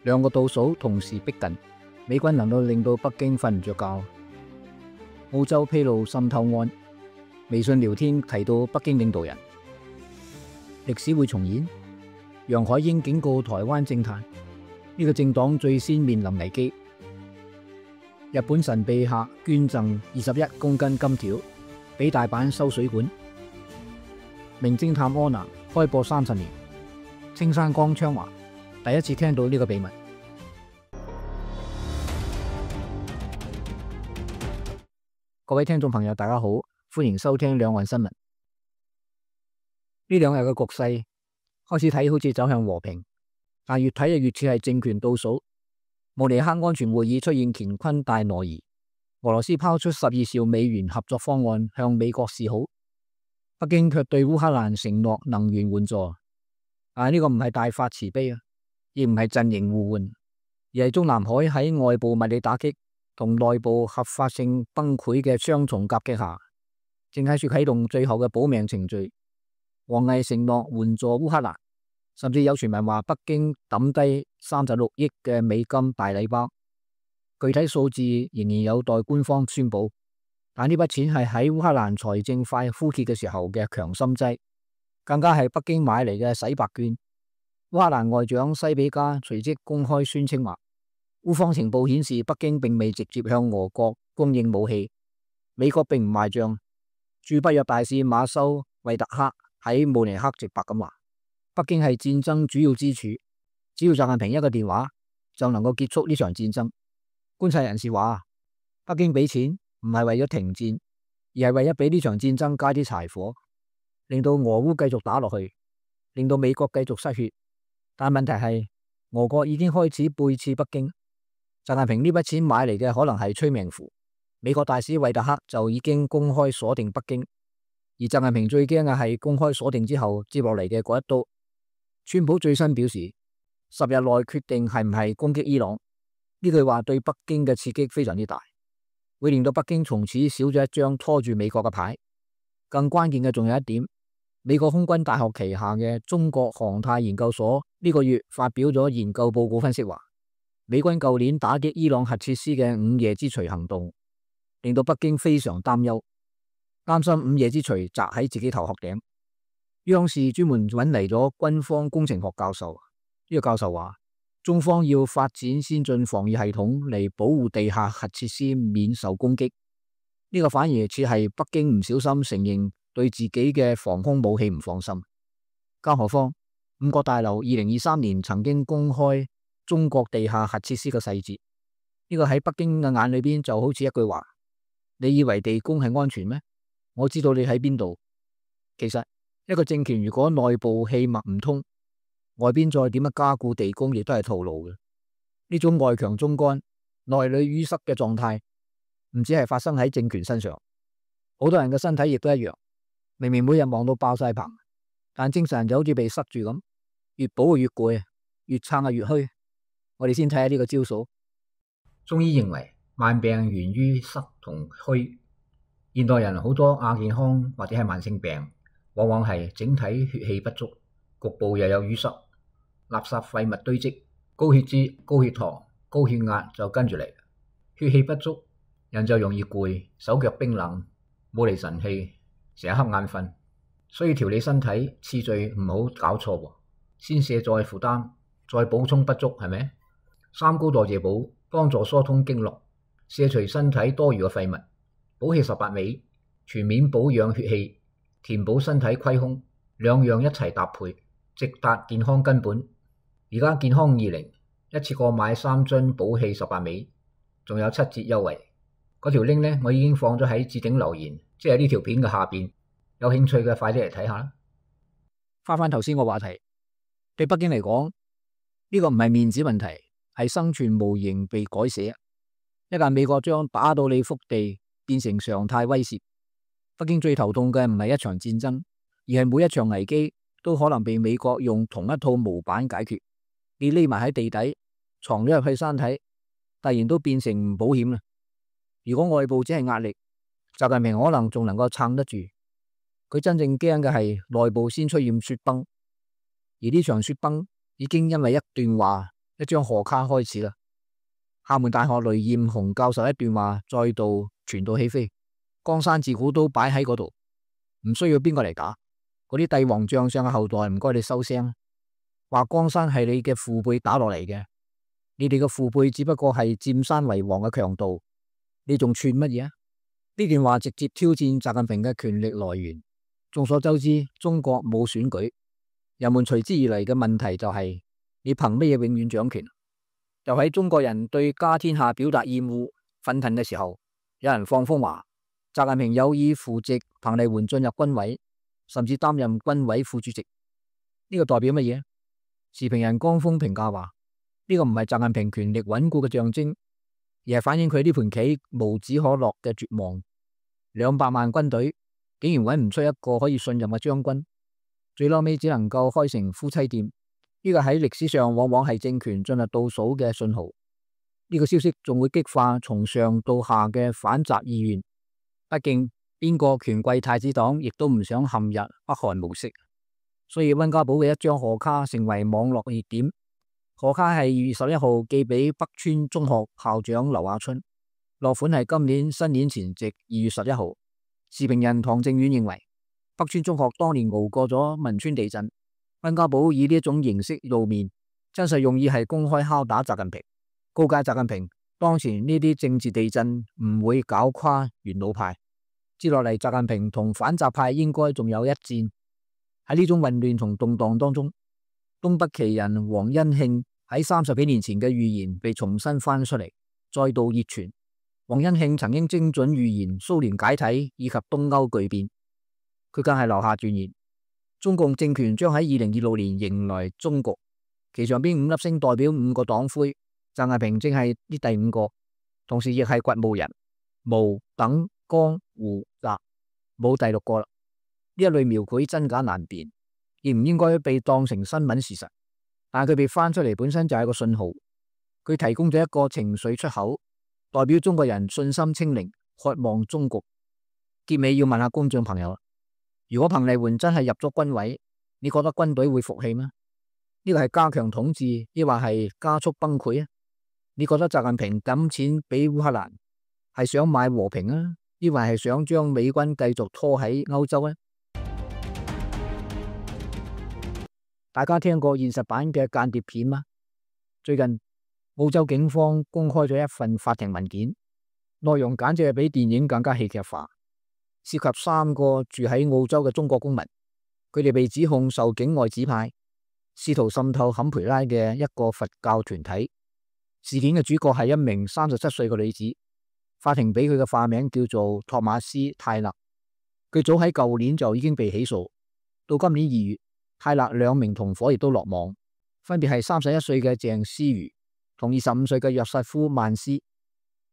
兩個倒數同時逼近，美軍能夠令到北京瞓唔着覺。澳洲披露滲透案，微信聊天提到北京領導人，歷史會重演。楊海英警告台灣政壇，呢個政黨最先面臨危機。日本神秘客捐贈21公斤金條俾大阪修水管。名偵探柯南開播30年，青山剛昌華第一次聽到呢個秘密。各位聽眾朋友大家好，歡迎收聽兩岸新聞。呢兩日嘅局勢開始睇好似走向和平，但越睇就越似係政權倒數。慕尼黑安全會議出現乾坤大挪移，俄羅斯拋出12兆美元合作方案向美國示好，北京卻對烏克蘭承諾能源援助。呢個唔係大發慈悲啊，亦唔係陣營互換，而係中南海喺外部物理打擊同內部合法性崩潰嘅雙重夾擊下，正喺處啟動最後嘅保命程序。王毅承諾援助烏克蘭，甚至有傳聞話北京抌低36億嘅美金大禮包，具體數字仍然有待官方宣布。但呢筆錢係喺烏克蘭財政快枯竭嘅時候嘅強心劑，更加係北京買嚟嘅洗白券。烏克蘭外長西比加隨即公開宣稱話，烏方情報顯示北京並未直接向俄國供應武器，美國並唔賣賬。駐北約大使馬修惠特克喺慕尼黑直白咁話，北京係戰爭主要支柱，只要習近平一個電話就能夠結束呢場戰爭。觀察人士話，北京俾錢唔係為咗停戰，而係為咗俾呢場戰爭加啲柴火，令到俄烏繼續打落去，令到美國繼續失血。但問題係俄國已經開始背刺北京，習近平呢筆錢買嚟嘅可能係催命符。美國大使惠特克就已經公開鎖定北京，而習近平最驚嘅係公開鎖定之後接落嚟嘅嗰一刀。川普最新表示10日內決定係唔係攻擊伊朗，呢句話對北京嘅刺激非常之大，會令到北京從此少咗一張拖住美國嘅牌。更關鍵嘅仲有一點，美國空軍大學旗下嘅中國航太研究所呢個月發表咗研究報告分析話，美軍舊年打擊伊朗核設施嘅午夜之錘行動，令到北京非常擔憂，擔心午夜之錘砸喺自己頭殼頂。央視專門揾嚟咗軍方工程學教授，呢個教授話，中方要發展先進防禦系統嚟保護地下核設施免受攻擊。呢個反而似係北京唔小心承認對自己嘅防空武器唔放心。更何況五角大樓2023年曾經公開中國地下核設施嘅細節，呢個喺北京嘅眼裏邊就好似一句話，你以為地宮係安全咩？我知道你喺邊度。其實一個政權如果內部氣脈唔通，外邊再點樣加固地宮亦都係徒勞嘅。呢種外強中乾、內裏淤塞嘅狀態唔止係發生喺政權身上，好多人嘅身體亦都一樣。明明每日忙到爆晒棚，但精神就好似被塞住咁，越補越攰，越撐越虛。我哋先睇下呢個招數。中醫認為慢病源於塞同虛，現代人好多亞健康或者係慢性病，往往係整體血氣不足，局部又有淤塞，垃圾廢物堆積，高血脂、高血糖、高血壓就跟住嚟。血氣不足，人就容易攰，手腳冰冷，冇嚟神氣，成日瞌眼瞓。所以調理身體次序唔好搞錯喎，先卸載負擔，再補充不足，係咪？三高代謝補幫助疏通經絡，卸除身體多餘嘅廢物，補氣18味，全面保養血氣，填補身體虧空，兩樣一齊搭配，直達健康根本。而家健康20一次過買3樽補氣18味，仲有7折優惠。嗰條 link 呢，我已經放咗喺置頂留言，即係呢條片嘅下邊。有興趣嘅快啲嚟睇下啦。翻頭先個話題，對北京嚟講，呢個唔係面子問題，係生存模型被改寫。一旦美國將打到你腹地變成常態威懾，北京最頭痛嘅唔係一場戰爭，而係每一場危機都可能被美國用同一套模板解決。你匿埋喺地底，藏咗入去山體，突然都變成唔保險啦。如果外部只係壓力，習近平可能仲能夠撐得住。佢真正驚嘅係內部先出現雪崩，而呢場雪崩已經因為一段話一張賀卡開始啦。廈門大學雷艷紅教授一段話再度傳到起飛，江山自古都擺喺嗰度，唔需要邊個嚟打。嗰啲帝王將相嘅後代唔該你收聲，話江山係你嘅父輩打落嚟嘅，你哋嘅父輩只不過係佔山為王嘅強盜，你仲串乜嘢啊？呢段話直接挑戰習近平嘅權力來源。眾所周知，中國冇選舉，人們隨之而嚟嘅問題就係你憑乜嘢永遠掌權？就喺中國人對家天下表達厭惡憤恨嘅時候，有人放風話習近平有意扶植彭麗媛進入軍委，甚至擔任軍委副主席。呢個代表乜嘢？時評人江峰評價話，呢個唔係習近平權力穩固嘅象徵，而係反映佢呢盤棋無止可落嘅絕望。200萬軍隊竟然揾唔出一個可以信任嘅將軍，最嬲尾只能夠開成夫妻店。呢個喺歷史上往往係政權進入倒數嘅信號。呢個消息仲會激化從上到下嘅反習意願。畢竟邊個權貴太子黨亦都唔想陷入北韓模式，所以溫家寶嘅一張賀卡成為網絡熱點。賀卡係2月11號寄俾北川中學校長劉亞春，落款係今年新年前夕2月11號。時評人唐正遠認為，北川中學當年熬過咗汶川地震，溫家寶以呢一種形式露面，真實用意係公開敲打習近平，告誡習近平當前呢啲政治地震唔會搞垮元老派。接落嚟，習近平同反習派應該仲有一戰。喺呢種混亂同動盪當中，東北奇人黃恩慶喺30幾年前嘅預言被重新翻出嚟，再度熱傳。黃恩慶曾經精準預言蘇聯解體以及東歐巨變，佢更係留下斷言，中共政權將喺2026年迎來終局，其上邊5粒星代表5個黨魁，習近平正係呢第5個，同時亦係掘墓人，毛、等、江、胡、習，冇第6個啦。呢一類描繪真假難辨，亦唔應該被當成新聞事實，但係佢被翻出嚟本身就係個信號，佢提供咗一個情緒出口，代表中國人信心清零，渴望終局。結尾要問下觀眾朋友，如果彭麗媛真係入咗軍委，你覺得軍隊會服氣嗎？呢個係加強統治，抑或係加速崩潰啊？你覺得習近平抌錢俾烏克蘭係想買和平啊，抑或係想將美軍繼續拖喺歐洲呢？大家聽過現實版嘅間諜片嗎？最近澳洲警方公開咗一份法庭文件，內容簡直係比電影更加戲劇化，涉及3個住喺澳洲嘅中國公民，佢哋被指控受境外指派，試圖滲透坎培拉嘅一個佛教團體。事件嘅主角係一名37歲嘅女子，法庭俾佢嘅化名叫做托馬斯泰勒。佢早喺舊年就已經被起訴，到今年2月，泰勒2名同伙亦都落網，分別係31歲嘅鄭思瑜同25歲嘅約瑟夫曼斯。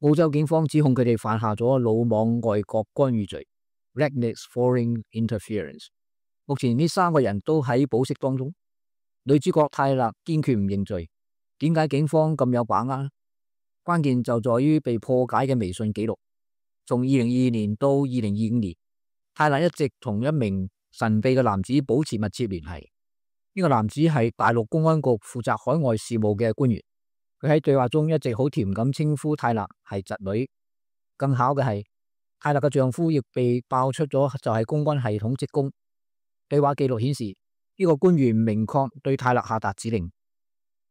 澳洲警方指控佢哋犯下咗魯莽外國干預罪 （reckless foreign interference）。目前呢3個人都喺保釋當中。女主角泰勒堅決唔認罪，點解警方咁有把握？關鍵就在於被破解嘅微信記錄。從2022年到2025年，泰勒一直同一名神秘嘅男子保持密切聯繫。呢個男子係大陸公安局負責海外事務嘅官員。佢喺對話中一直好甜咁稱呼泰勒係侄女。更巧嘅係，泰勒嘅丈夫亦被爆出咗就係公安系統職工。對話記錄顯示，呢個官員明確對泰勒下達指令，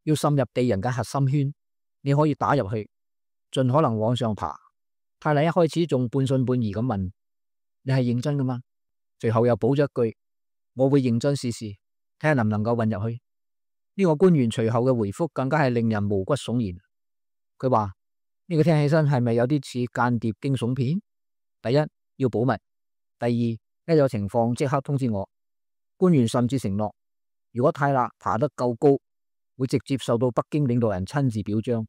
要滲入敵人嘅核心圈，你可以打入去，盡可能往上爬。泰勒一開始仲半信半疑咁問：你係認真噶嗎？隨後又補咗一句：我會認真試試，睇下能唔能夠混入去。呢個官員隨後嘅回覆更加係令人毛骨悚然。佢話：呢個聽起身係咪有啲似間諜驚悚片？第一，要保密；第二，一有情況即刻通知我。官員甚至承諾，如果泰勒爬得夠高，會直接受到北京領導人親自表彰。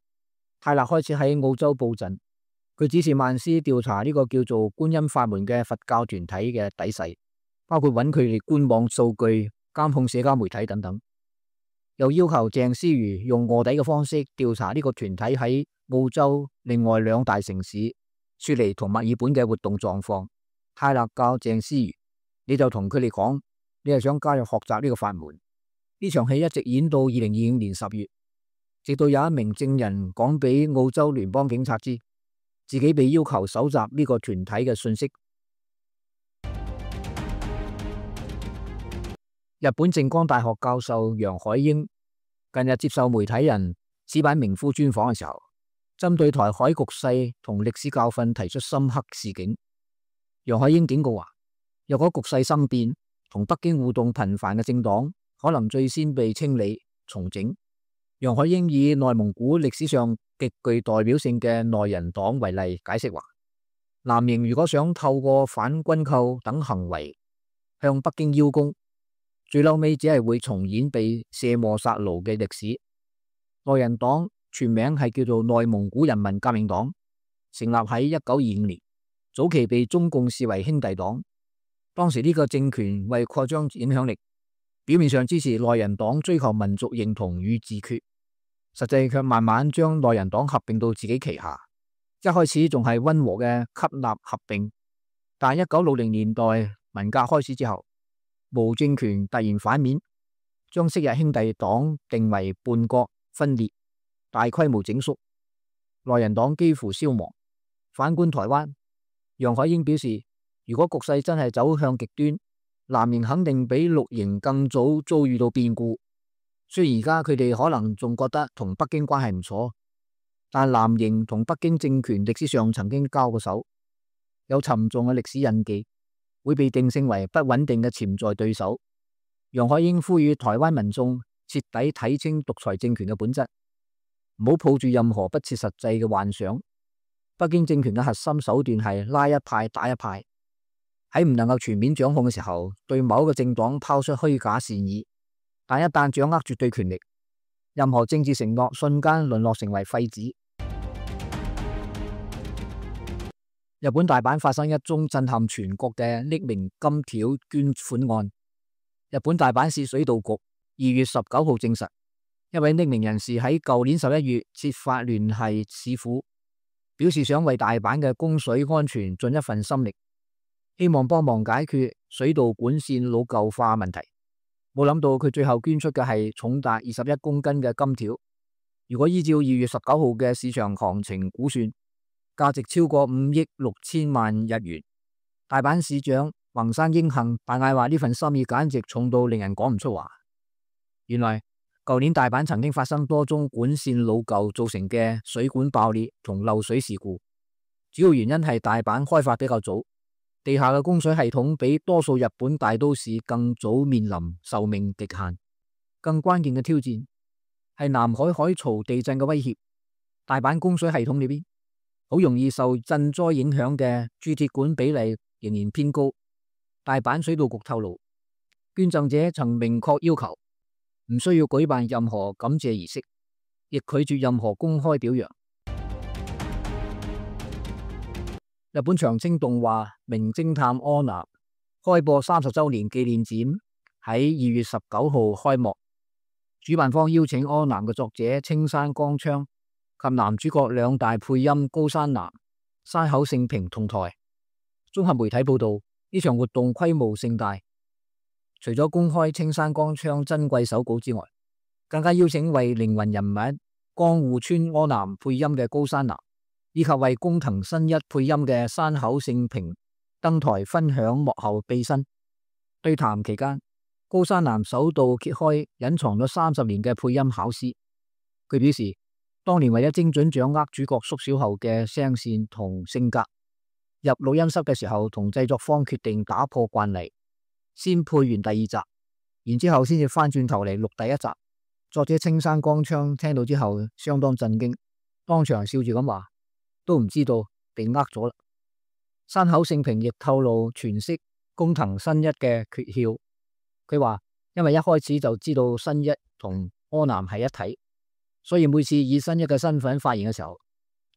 泰勒開始喺澳洲布陣，佢指示曼斯調查呢個叫做觀音法門嘅佛教團體嘅底細，包括揾佢哋官網數據、監控社交媒體等等。又要求鄭思瑜用臥底嘅方式調查呢個團體喺澳洲另外2大城市雪梨同墨爾本嘅活動狀況。泰勒教鄭思瑜，你就同佢哋講，你係想加入學習呢個法門。呢場戲一直演到2025年10月。直到有一名證人講俾澳洲聯邦警察知，自己被要求搜集呢個團體嘅信息。日本靜岡大學教授楊海英近日接受媒體人矢板明夫專訪嘅時候，針對台海局勢同歷史教訓提出深刻示警。楊海英警告話，若果局勢生變，同北京互動頻繁嘅政黨可能最先被清理重整。楊海英以內蒙古歷史上極具代表性嘅內人黨為例，解釋話，藍營如果想透過反軍購等行為向北京邀功，最嬲尾只係會重演被卸磨殺顱嘅歷史。內人黨全名係叫做內蒙古人民革命黨，成立喺1925年，早期被中共視為兄弟黨。當時呢個政權為擴張影響力，表面上支持內人黨追求民族認同與自決，實際卻慢慢將內人黨合併到自己旗下。一開始仲係溫和嘅吸納合併，但1960年代文革開始之後，毛政權突然反面，將昔日兄弟黨定為叛國分裂，大規模整肅，內人黨幾乎消亡。反觀台灣，楊海英表示，如果局勢真係走向極端，藍營肯定比綠營更早遭遇到變故。雖然而家佢哋可能仲覺得同北京關係唔錯，但藍營同北京政權歷史上曾經交過手，有沉重嘅歷史印記，會被定性為不穩定嘅潛在對手。楊海英呼籲台灣民眾徹底睇清獨裁政權嘅本質，唔好抱住任何不切實際嘅幻想。北京政權嘅核心手段係拉一派打一派，喺唔能夠全面掌控嘅時候，對某一個政黨拋出虛假善意，但一旦掌握絕對權力，任何政治承諾瞬間淪落成為廢紙。日本大阪發生一宗震撼全國嘅匿名金條捐款案。日本大阪市水道局2月19號證實，一位匿名人士喺舊年11月設法聯繫市府，表示想為大阪嘅供水安全盡一份心力，希望幫忙解決水道管線老舊化問題。冇諗到佢最後捐出嘅係重達21公斤嘅金條，如果依照2月19號嘅市場行情估算，價值超過5億6千萬日元。大阪市長橫山英幸大嗌話，呢份心意簡直重到令人講唔出話。原來舊年大阪曾經發生多宗管線老舊造成嘅水管爆裂同漏水事故，主要原因係大阪開發比較早，地下嘅供水系統比多數日本大都市更早面臨壽命極限。更關鍵嘅挑戰係南海海槽地震嘅威脅，大阪供水系統裏邊好容易受震災影響嘅鑄鐵管比例仍然偏高。大阪水道局透露，捐贈者曾明確要求唔需要舉辦任何感謝儀式，亦拒絕任何公開表揚。日本長青動畫《名偵探柯南》開播30周年紀念展喺2月19號開幕，主辦方邀請柯南嘅作者青山剛昌及男主角兩大配音高山南、山口勝平同台。綜合媒體報道，呢場活動規模盛大，除咗公開青山剛昌珍貴手稿之外，更加邀請為靈魂人物江戶川柯南配音嘅高山南，以及為工藤新一配音嘅山口勝平登台分享幕後秘辛。對談期間，高山南首度揭開隱藏咗30年嘅配音巧思。佢表示，當年為咗精準掌握主角縮小後嘅聲線同性格，入錄音室嘅時候同製作方決定打破慣例，先配完第2集，然之後先至翻轉頭嚟錄第1集。作者青山剛昌聽到之後相當震驚，當場笑住咁話，都唔知道被呃咗啦。山口勝平亦透露詮釋工藤新一嘅訣竅，佢話因為一開始就知道新一同柯南係一體，所以每次以新一嘅身份發言嘅時候，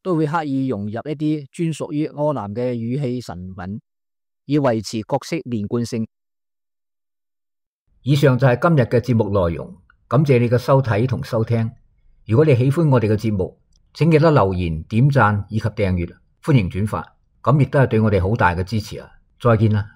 都會刻意融入一啲專屬於柯南嘅語氣神韻，以維持角色連貫性。以上就係今日嘅節目內容，感謝你嘅收睇同收聽。如果你喜歡我哋嘅節目，請記得留言、點讚以及訂閱，歡迎轉發，咁亦都係對我哋好大嘅支持啊！再見啦！